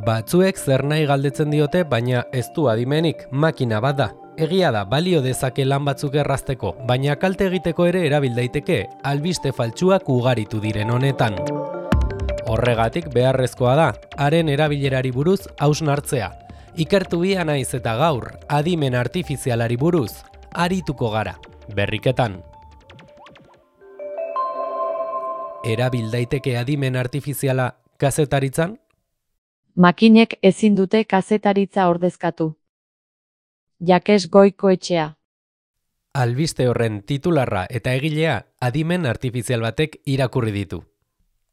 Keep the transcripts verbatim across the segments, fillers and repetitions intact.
Batzuek zer nahi galdetzen diote, baina ez du adimenik, makina bat da. Egia da, balio dezake lan batzuk errazteko, baina kalte egiteko ere erabil daiteke, albiste faltsuak ugaritu diren honetan. Horregatik beharrezkoa da, haren erabilerari buruz hausnartzea. Ikertu bia naiz eta gaur, adimen artifizialari buruz, arituko gara, berriketan. Erabil daiteke adimen artifiziala kazetaritzan? Makinek ezin dute kazetaritza ordezkatu. Jakes Goikoetxea. Albiste horren titularra eta egilea adimen artifizial batek irakurri ditu.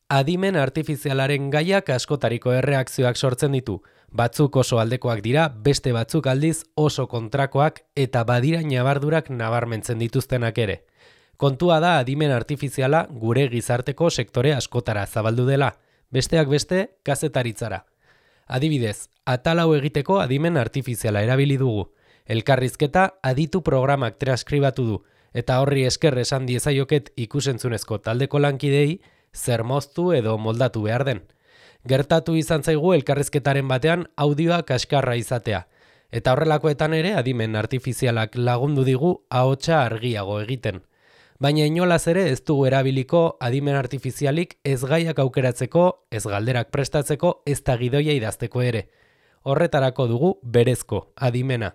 Adimen artifizialaren gaiak askotariko erreakzioak sortzen ditu. Batzuk oso aldekoak dira, beste batzuk aldiz oso kontrakoak eta badira ñabardurak nabarmentzen dituztenak ere. Kontua da adimen artifiziala gure gizarteko sektore askotara zabaldu dela, besteak beste kazetaritzara. Adibidez, atal hau egiteko adimen artifiziala erabili dugu. Elkarrizketa aditu programak transkribatu du, eta horri esker esan diezaioket ikusentzunezko taldeko lankidei zer moztu edo moldatu behar den. Gertatu izan zaigu elkarrizketaren batean audioa kaskarra izatea, eta horrelakoetan ere adimen artifizialak lagundu digu ahotsa argiago egiten. Baina inolaz ere ez dugu erabiliko adimen artifizialik ez gaiak aukeratzeko, ez galderak prestatzeko, ez da gidoia idazteko ere. Horretarako dugu berezko adimena.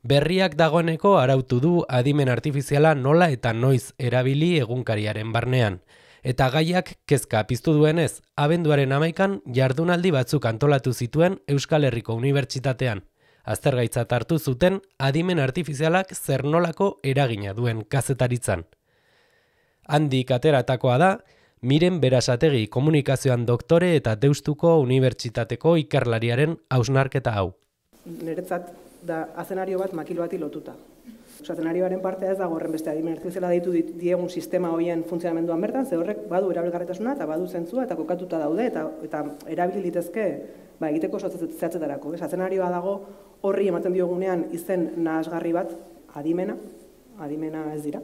Berriak dagoeneko arautu du adimen artifiziala nola eta noiz erabili egunkariaren barnean. Eta gaiak kezka piztu duenez, abenduaren hamaikan jardunaldi batzuk antolatu zituen Euskal Herriko Unibertsitatean. Aztergaitzat hartu zuten adimen artifizialak zer nolako eragina duen kazetaritzan. Handik ateratakoa da, Miren Berasategi komunikazioan doktore eta Deustuko Unibertsitateko ikerlariaren hausnarketa hau. Niretzat da azenario bat makil bati lotuta. Azenarioaren partea ez dago horren beste adimen artifiziala deitu diegun sistema horien funtzionamenduan bertan, ze horrek badu erabilgarritasuna eta badu zentzua eta kokatuta daude eta eta erabili litezke ba, egiteko zehatzetarako. Azenarioa dago horri ematen diogunean izen nahasgarri bat adimena, adimena ez dira.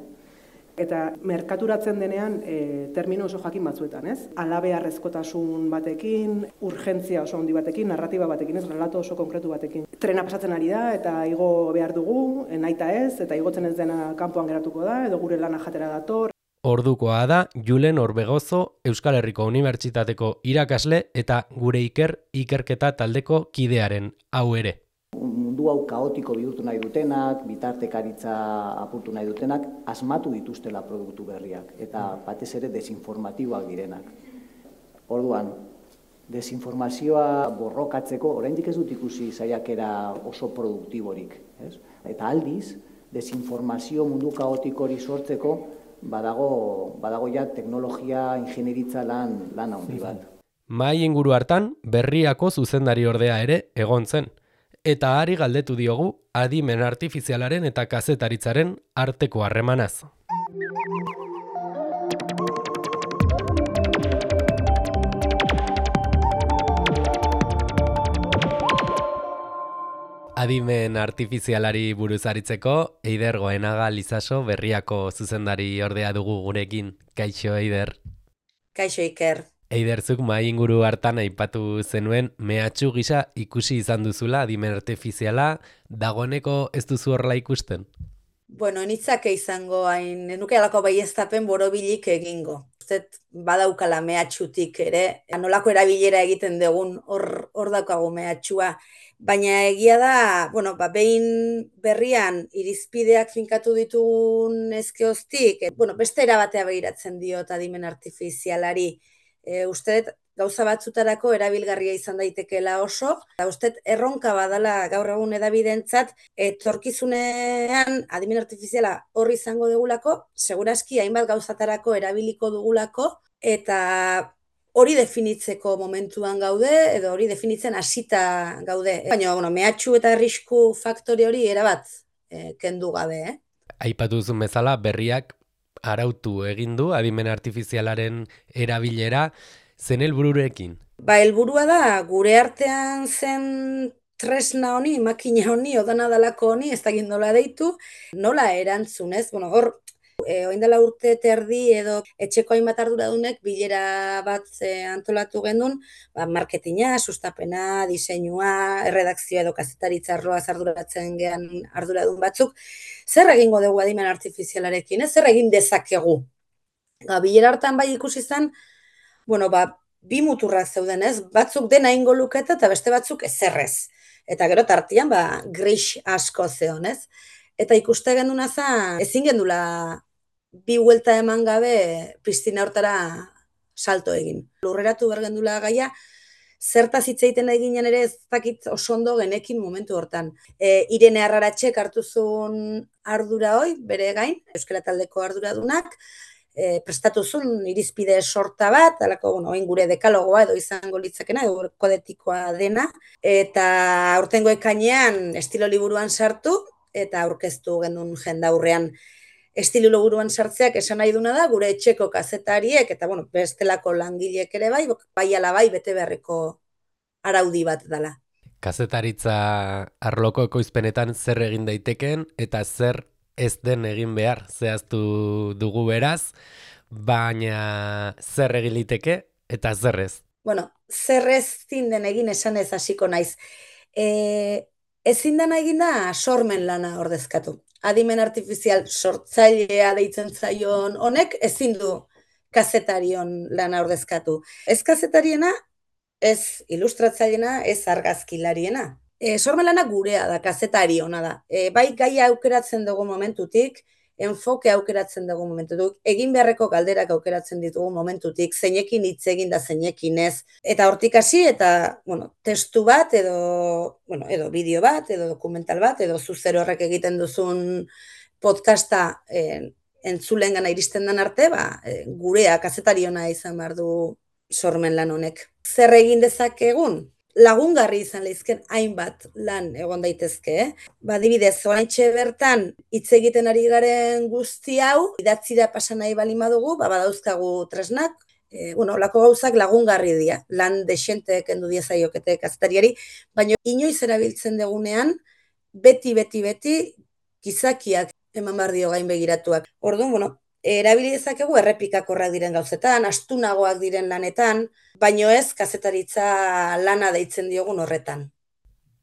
Eta merkaturatzen denean e, termino oso jakin batzuetan, ez? Alabeharrezkotasun batekin, urgentzia oso handi batekin, narratiba batekin, ez? Relato oso konkretu batekin. Trena pasatzen ari da eta igo behar dugu, naita ez, eta igotzen ez dena kanpoan geratuko da, edo gure lana jatera dator. Ordukoa da Julen Orbegozo Euskal Herriko Unibertsitateko irakasle eta gure iker ikerketa taldeko kidearen hau ere. Mundu hau kaotiko bihurtu nahi dutenak, bitartekaritza apurtu nahi dutenak, asmatu dituztela produktu berriak, eta batez ere desinformatiboak direnak. Orduan, desinformazioa borrokatzeko, oraindik ez dut ikusi saiakera oso produktiborik. Ez? Eta aldiz, desinformazio mundu kaotikori sortzeko, badago, badago ja teknologia, ingenieritza lan, lan handi bat. Mahai inguru hartan, Berriako zuzendari ordea ere egon zen. Eta ari galdetu diogu adimen artifizialaren eta kazetaritzaren arteko harremanaz. Adimen artifizialari buruz aritzeko, Eider Goenaga Lizaso Berriako zuzendari ordea dugu gurekin. Kaixo, Eider. Kaixo, Iker. Eiderzuk mahai inguru hartan aipatu zenuen mehatxu gisa ikusi izan duzula adimen artifiziala, dagoeneko ez duzu horrela ikusten? Bueno, nitzake izango hain, nuke alako baieztapen borobilik egingo. Uztet badaukala mehatxutik ere, nolako erabilera egiten dugun hor, hor daukagu mehatxua. Baina egia da, bueno, ba, behin Berrian irizpideak finkatu ditugun ezkeoztik, bueno, beste erabatea begiratzen diot adimen artifizialari. E, uste gauza batzutarako erabilgarria izan daitekeela oso, eta uste erronka badala gaur egun edabidentzat, etorkizunean adimen artifiziala horri izango dugulako, segurazki hainbat gauzatarako erabiliko dugulako, eta hori definitzeko momentuan gaude, edo hori definitzen hasita gaude. Baina, bueno, mehatxu eta arrisku faktore hori erabat e, kendu gabe, eh? Aipatu duzun bezala, Berriak arautu egin du adimen artifizialaren erabilera, zen helbururekin? Ba, helburua da gure artean zen tresna honi, makina honi, odana dalako honi, ez da nola deitu, nola erantzun, ez? Bueno, hor E, oindela urte terdi edo etxeko hainbat arduradunek bilera bat e, antolatu genuen, ba, marketinga, sustapena, diseinua, erredakzioa edo kazetaritza arloaz arduratzen gean arduradun batzuk, zer egingo dugu adimen artifizialarekin, ez? Zer egin dezakegu? Ba, bilera hartan bai ikusi zen, bueno, ba, bi muturrak zeuden, ez? Batzuk dena ingo luketa eta beste batzuk ezerrez. Eta gero tartian, ba, gris asko zeon, ez? Eta ikuste genduna za, ezin gendula bi huelta eman gabe piztina hortara salto egin. Lurreratu behar gendula gaia, zertaz hitz egiten eginen ere ez dakit oso ondo genekin momentu hortan. E, Irene Arraratxek hartu zuen ardura hoi, bere gain, Euskara Taldeko arduradunak, e, prestatu zuen irizpide sorta bat, alako, bueno, oin gure dekalogoa edo izango litzakena, edo kodetikoa dena, eta aurtengo ekainean estilo liburuan sartu, eta aurkeztu genuen jendaurrean. Estilo liburuan sartzeak esan nahi duna da, gure etxeko kazetariek, eta bueno, bestelako langileek ere bai, bai ala bai bete beharreko araudi bat dela. Kazetaritza arloko ekoizpenetan zer egin daiteken eta zer ez den egin behar zehaztu dugu beraz, baina zer egin liteke eta zer ez. Bueno, zer ez zinden egin esan ez hasiko naiz. E, ezin dena egin da sormen lana ordezkatu. Adimen artifizial sortzailea deitzen zaion honek ezin du kazetarion lana ordezkatu. Ez kazetariena, ez ilustratzailena, ez argazkilariena. E, sormen lana gurea da, kazetari ona da. E, bai gaia aukeratzen dugu momentutik, enfoke aukeratzen dugu momentutik, egin beharreko galderak aukeratzen ditugu momentutik, zeinekin hitz egin da zeinekin ez. Eta hortik hasi eta, bueno, testu bat edo, bueno, edo bideo bat, edo dokumental bat, edo zuzer horrek egiten duzun podcasta eh, entzulen gana iristen den arte, ba, eh, gurea kazetariona izan behar du sormen lan honek. Zer egin dezakegun? Lagungarri izan lehizken hainbat lan egon daitezke. Eh? Ba, adibidez, oraintxe bertan hitz egiten ari garen guzti hau, idatzira pasa nahi bali badugu, ba, badauzkagu tresnak, e, bueno, olako gauzak lagungarri dira, lan dexente kendu diezaiokete kazetariari, baina inoiz erabiltzen dugunean, beti, beti, beti, gizakiak eman behar dio gain begiratuak. Orduan, bueno, erabili dezakegu errepikakorrak diren gauzetan, astunagoak diren lanetan, baino ez kazetaritza lana deitzen diogun horretan.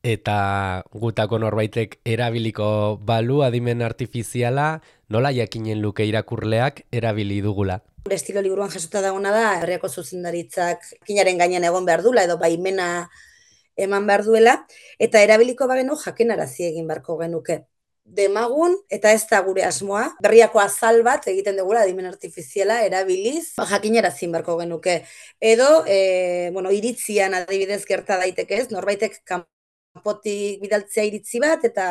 Eta gutako norbaitek erabiliko balu adimen artifiziala, nola jakinen luke irakurleak erabili dugula? Gure estilo liburuan jasota dagona da, herriako zuzendaritzak kinaren gainean egon behar dula, edo baimena eman behar duela, eta erabiliko bagenu jakinarazi egin beharko genuke. Demagun, eta ez da gure asmoa, berriako azal bat egiten dugula adimen artifiziala erabiliz, jakinarazin beharko genuke. Edo, e, bueno, iritzian adibidez gerta daiteke ez, norbaitek kanpotik bidaltzea iritzi bat, eta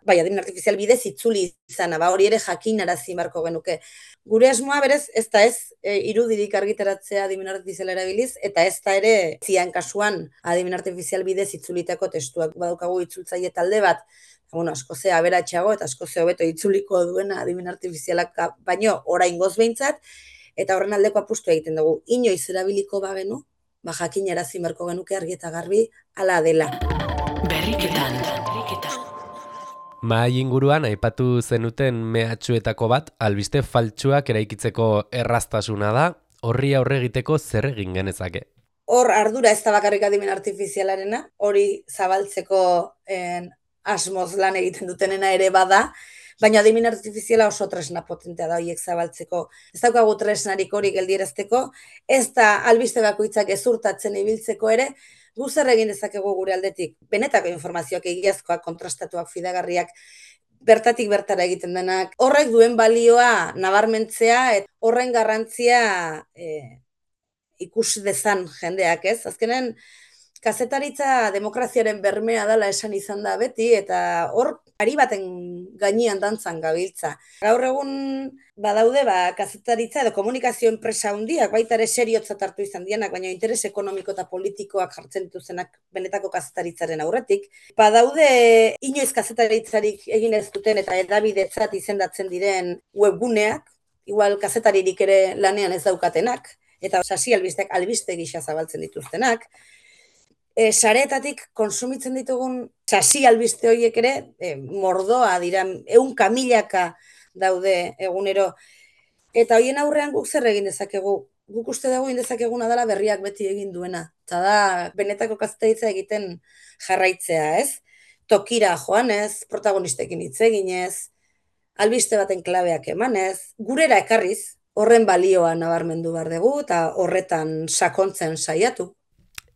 bai, adimen artifizial bidez itzuli izana, ba, hori ere jakinarazin beharko genuke. Gure asmoa berez, ez da ez, e, irudirik argitaratzea adimen artifiziala erabiliz, eta ez da ere zian kasuan adimen artifizial bidez itzulitako testuak. Badaukagu itzultzaile talde bat, bueno, asko ze aberatsago eta asko ze hobeto itzuliko duena adimen artifizialak baino oraingoz behintzat, eta horren aldeko apustu egiten dugu. Inoiz erabiliko bagenu, ba jakinarazi beharko genuke argi eta garbi hala dela. Berriketan. Mahai inguruan aipatu zenuten mehatxuetako bat, albiste faltsuak eraikitzeko erraztasuna da, horri aurre egiteko zer egin genezake. Hor ardura ez da bakarrik adimen artifizialarena, hori zabaltzeko en, asmoz lan egiten dutenena ere bada, baina adimen artifiziala oso tresna potentea da horiek zabaltzeko. Ez daukagu tresnarik hori geldierazteko, ez da albiste bakoitzak ezurtatzen ibiltzeko ere, gu zer egin dezakegu gure aldetik. Benetako informazioak egiazkoak, kontrastatuak, fidagarriak, bertatik bertara egiten denak. Horrek duen balioa nabarmentzea, eta horren garrantzia e, ikus dezan jendeak, ez? Azkenen, kazetaritza demokraziaren bermea dela esan izan da beti, eta hor ari baten gainean dantzan gabiltza. Gaur egun badaude ba, kazetaritza edo komunikazio enpresa handiak, baita ere seriotzat hartu izan dianak, baina interes ekonomiko eta politikoak jartzen dituzenak benetako kazetaritzaren aurretik. Badaude inoiz kazetaritzarik egin ez duten eta edabidetzat izendatzen diren webguneak, igual kazetaririk ere lanean ez daukatenak, eta sasi albisteak albiste gisa zabaltzen dituztenak. E, sareetatik konsumitzen ditugun sasi albiste horiek ere e, mordoa dira, ehunka milaka daude egunero. Eta hoien aurrean guk zer egin dezakegu? Guk uste dugu egin dezakeguna dela berriak beti egin duena. Eta da, benetako kazetaritza egiten jarraitzea, ez? Tokira joanez, protagonistekin hitz eginez, albiste baten klabeak emanez, gurera ekarriz, horren balioa nabarmendu behar dugu eta horretan sakontzen saiatu.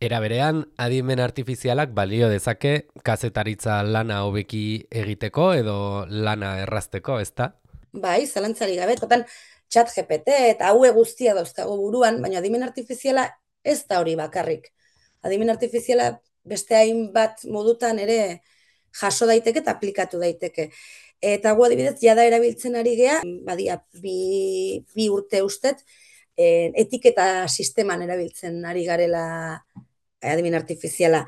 Era berean, adimen artifizialak balio dezake kazetaritza lana hobeki egiteko edo lana errazteko, ezta? Bai, zalantzari gabe, totan chat G P T eta haue guztia dauzkago buruan, baina adimen artifiziala ez da hori bakarrik. Adimen artifiziala beste hainbat modutan ere jaso daiteke eta aplikatu daiteke. Eta gu adibidez, jada erabiltzen ari gea, badia bi, bi urte ustet, e, etiketa sisteman erabiltzen ari garela adimen artifiziala.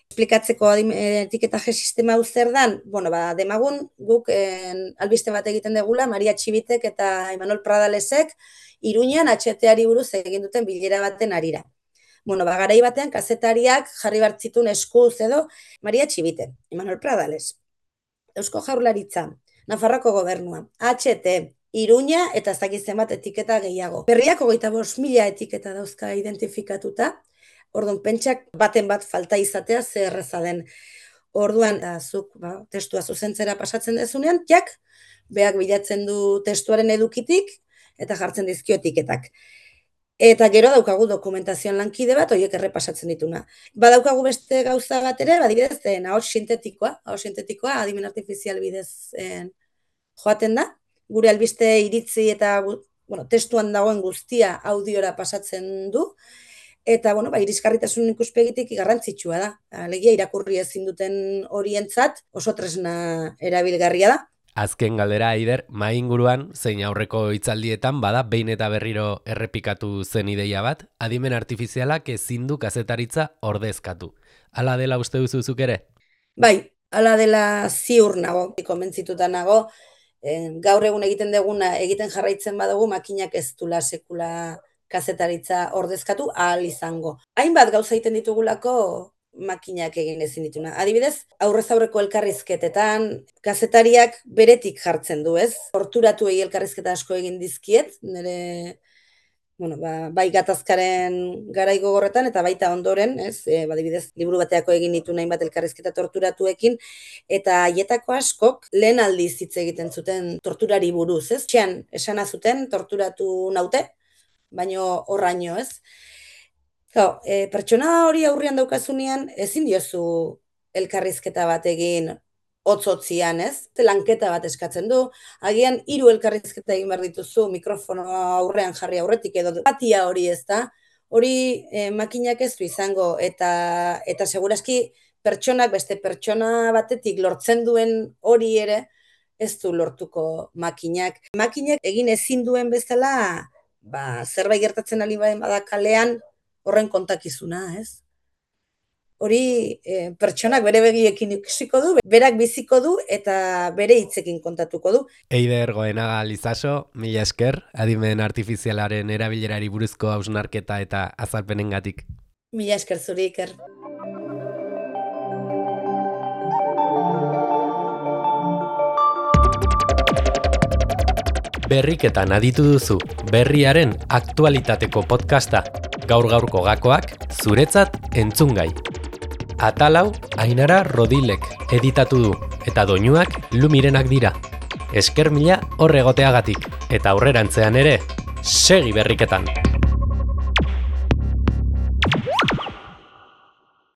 Esplikatzeko etiketaje sistema hau zer dan, bueno, ba, demagun guk en, albiste bat egiten degula, Maria Txibitek eta Imanol Pradalesek Iruñan H T-ari buruz egin duten bilera baten arira. Bueno, ba, garai batean kazetariak jarri bartzitun eskuz edo Maria Txibite, Imanol Pradales, Eusko Jaurlaritza, Nafarroko Gobernua, H T, Iruña eta ez dakit zenbat etiketa gehiago. Berriak hogeita bost mila etiketa dauzka identifikatuta. Orduan, pentsak baten bat falta izatea zer erreza den. Orduan, da, zuk ba, testua zuzentzera pasatzen dezunean, jak, beak bilatzen du testuaren edukitik eta jartzen dizkio etiketak. Eta gero daukagu dokumentazioan lankide bat, horiek errepasatzen dituna. Badaukagu beste gauza bat ere, badibidez, ahots sintetikoa, ahots sintetikoa, adimen artifizial bidez en, joaten da. Gure albiste iritzi eta bueno, testuan dagoen guztia audiora pasatzen du. Eta, bueno, ba, irisgarritasun ikuspegitik garrantzitsua da. Alegia irakurri ezin duten horientzat oso tresna erabilgarria da. Azken galdera, Aider, mahai inguruan, zein aurreko hitzaldietan bada behin eta berriro errepikatu zen ideia bat, adimen artifizialak ezin du kazetaritza ordezkatu. Hala dela uste duzuzuk ere? Bai, hala dela ziur nago, konbentzituta nago, eh, gaur egun egiten deguna egiten jarraitzen badugu makinak ez dula sekula kazetaritza ordezkatu ahal izango. Hainbat gauza egiten ditugulako makinak egin ezin dituna. Adibidez, aurrez aurreko elkarrizketetan kazetariak beretik jartzen du, ez? Torturatuei elkarrizketa asko egin dizkiet, nire bueno, ba, bai gatazkaren garai gogorretan eta baita ondoren, ez? E, adibidez, liburu bateako egin ditu hainbat elkarrizketa torturatuekin eta haietako askok lehen aldiz hitz egiten zuten torturari buruz, ez? Txean, esana zuten torturatu naute, baino horraino, ez? Gau, e, pertsona hori aurrian daukazunean, ezin diozu elkarrizketa bat egin hotz-hotzian, ez? Lanketa bat eskatzen du, agian hiru elkarrizketa egin behar dituzu mikrofono aurrean jarri aurretik edo patia hori, ez da? Hori e, makinak ez du izango, eta, eta seguraski pertsonak beste pertsona batetik lortzen duen hori ere ez du lortuko makinak. Makinak egin ezin duen bezala, ba, zerbait gertatzen ali bada kalean, horren kontakizuna, ez? Hori e, pertsonak bere begiekin ikusiko du, berak biziko du eta bere hitzekin kontatuko du. Eider Goenaga Lizaso, mila esker, adimen artifizialaren erabilerari buruzko hausnarketa eta azalpenengatik. Mila esker zuri, Iker. Berriketan aditu duzu, berriaren aktualitateko podcasta. Gaur-gaurko gakoak, zuretzat entzungai. Atalau, Ainara Rodilek editatu du, eta doinuak Lumirenak dira. Esker mila horregoteagatik, eta aurrerantzean ere, segi berriketan.